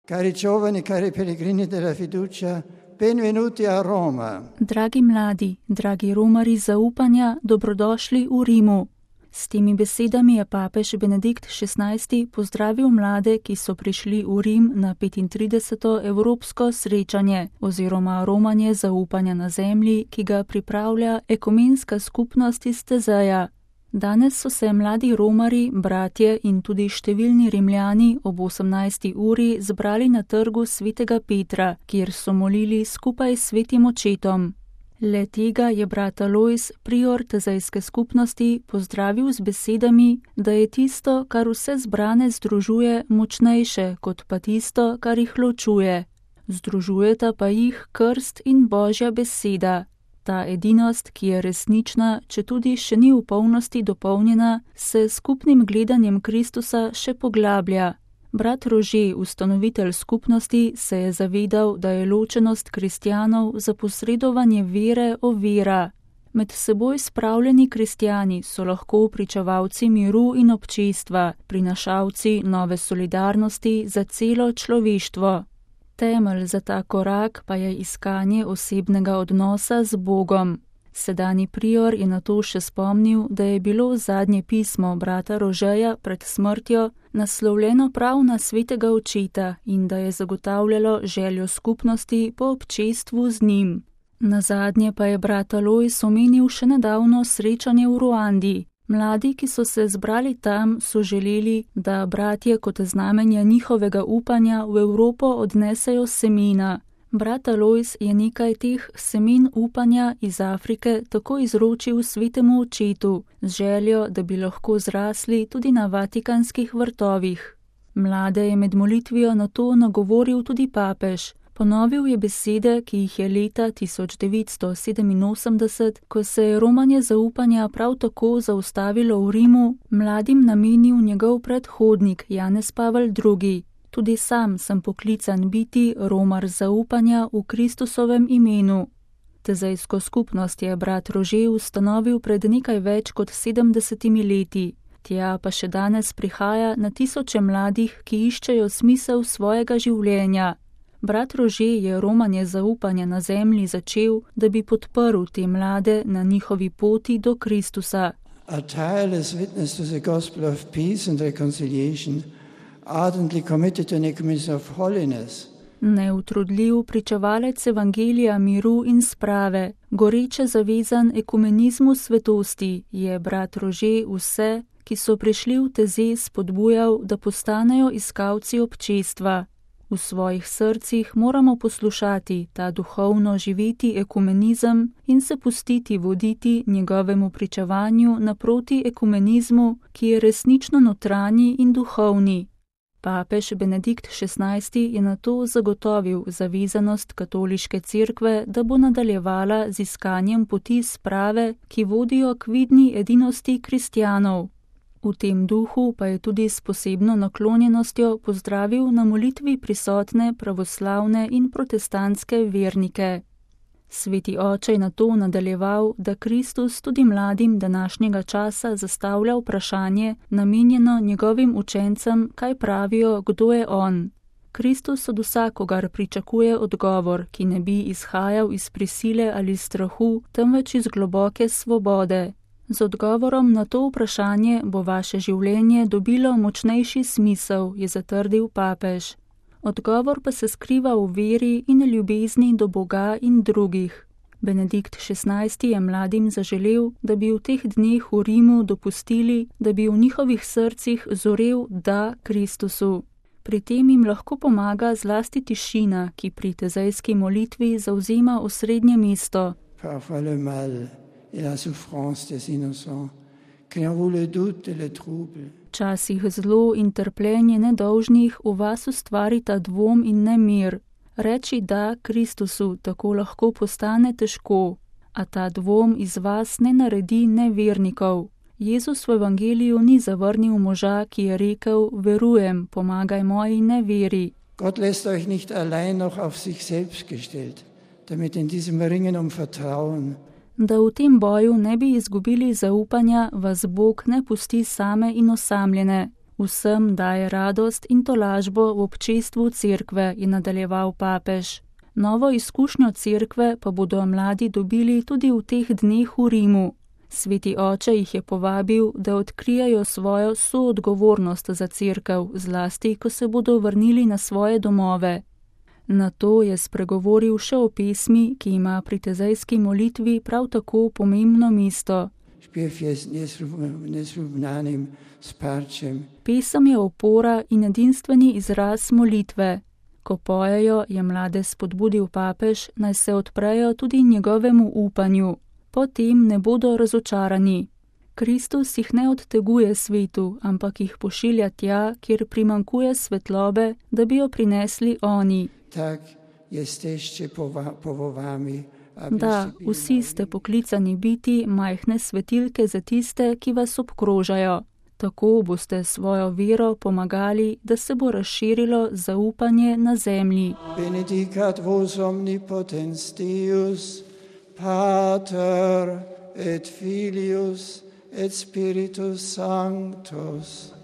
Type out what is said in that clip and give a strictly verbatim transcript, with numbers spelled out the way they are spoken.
Cari giovani, cari pellegrini della fiducia, benvenuti a Roma. Dragi mladi, dragi romari zaupanja, dobrodošli v Rimu. S temi besedami je papež Benedikt šestnajsti pozdravil mlade, ki so prišli v Rim na petintrideseto evropsko srečanje oziroma romanje zaupanja na zemlji, ki ga pripravlja ekumenska skupnost iz Tezeja. Danes so se mladi romari, bratje in tudi številni Rimljani ob osemnajsti uri zbrali na trgu svetega Petra, kjer so molili skupaj s svetim očetom. Le tega je brat Alojz, prior tezejske skupnosti, pozdravil z besedami, da je tisto, kar vse zbrane združuje, močnejše kot pa tisto, kar jih ločuje. Združujeta pa jih krst in Božja beseda. Ta edinost, ki je resnična, če tudi še ni v polnosti dopolnjena, se skupnim gledanjem Kristusa še poglablja. Brat Rože, ustanovitelj skupnosti, se je zavedal, da je ločenost kristjanov za posredovanje vere ovira. Med seboj spravljeni kristjani so lahko pričevalci miru in občestva, prinašalci nove solidarnosti za celo človeštvo. Temelj za ta korak pa je iskanje osebnega odnosa z Bogom. Sedanji prior je na to še spomnil, da je bilo zadnje pismo brata Rožeja pred smrtjo naslovljeno prav na svetega očeta in da je zagotavljalo željo skupnosti po občestvu z njim. Nazadnje pa je brat Alojz omenil še nedavno srečanje v Ruandi. Mladi, ki so se zbrali tam, so želeli, da bratje kot znamenja njihovega upanja v Evropo odnesejo semena. Brat Alojz je nekaj teh semen upanja iz Afrike tako izročil svetemu očetu, z željo, da bi lahko zrasli tudi na vatikanskih vrtovih. Mlade je med molitvijo na to nagovoril tudi papež. Ponovil je besede, ki jih je leta tisoč devetsto sedeminosemdeset, ko se je romanje zaupanja prav tako zaustavilo v Rimu, mladim namenil njegov predhodnik Janez Pavel drugi. Tudi sam sem poklican biti romar zaupanja v Kristusovem imenu. Tezejsko skupnost je brat Rože ustanovil pred nekaj več kot sedemdesetimi leti. Tja pa še danes prihaja na tisoče mladih, ki iščejo smisel svojega življenja. Brat Rože je romanje zaupanja na zemlji začel, da bi podprl te mlade na njihovi poti do Kristusa. A tireless witness to the gospel of peace and reconciliation, ardently committed to an ecumenism of holiness. Neutrudljiv pričevalec evangelija miru in sprave, goreče zavezan ekumenizmu svetosti, je brat Rože vse, ki so prišli v Teze, spodbujal, da postanejo iskalci občestva. V svojih srcih moramo poslušati ta duhovno živeti ekumenizem in se pustiti voditi njegovemu pričevanju naproti ekumenizmu, ki je resnično notranji in duhovni. Papež Benedikt šestnajsti je na to zagotovil zavezanost katoliške cerkve, da bo nadaljevala z iskanjem poti sprave, ki vodijo k vidni edinosti kristjanov. V tem duhu pa je tudi s posebno naklonjenostjo pozdravil na molitvi prisotne pravoslavne in protestantske vernike. Sveti oče je na to nadaljeval, da Kristus tudi mladim današnjega časa zastavlja vprašanje, namenjeno njegovim učencem, kaj pravijo, kdo je on. Kristus od vsakogar pričakuje odgovor, ki ne bi izhajal iz prisile ali strahu, temveč iz globoke svobode. Z odgovorom na to vprašanje bo vaše življenje dobilo močnejši smisel, je zatrdil papež. Odgovor pa se skriva v veri in ljubezni do Boga in drugih. Benedikt šestnajsti je mladim zaželel, da bi v teh dneh v Rimu dopustili, da bi v njihovih srcih zorel da Kristusu. Pri tem jim lahko pomaga zlasti tišina, ki pri tezejski molitvi zavzema osrednje mesto. Včasih zlo in trpljenje nedolžnih v vas ustvarita dvom in nemir. Reči da Kristusu tako lahko postane težko, a ta dvom iz vas ne naredi nevernikov. Jezus v evangeliju ni zavrnil moža, ki je rekel, verujem, pomagaj moji neveri. Gott lässt euch nicht allein noch auf sich selbst gestellt, damit in diesem Ringen um Vertrauen Da v tem boju ne bi izgubili zaupanja, vas Bog ne pusti same in osamljene. Vsem daje radost in tolažbo v občestvu cerkve, je nadaljeval papež. Novo izkušnjo cerkve pa bodo mladi dobili tudi v teh dneh v Rimu. Sveti oče jih je povabil, da odkrijajo svojo soodgovornost za cerkev, zlasti, ko se bodo vrnili na svoje domove. Na to je spregovoril še o pesmi, ki ima pri tezejski molitvi prav tako pomembno mesto. Pesem je opora in edinstveni izraz molitve. Ko pojejo, je mlade spodbudil papež, naj se odprejo tudi njegovemu upanju. Potem ne bodo razočarani. Kristus jih ne odteguje svetu, ampak jih pošilja tja, kjer primankuje svetlobe, da bi jo prinesli oni. Tak jesteście powołani, Da, vsi ste poklicani biti majhne svetilke za tiste, ki vas obkrožajo. Tako boste svojo vero pomagali, da se bo razširilo zaupanje na zemlji. Benedicat vos omnipotens Deus, Pater et Filius et Spiritus Sanctus.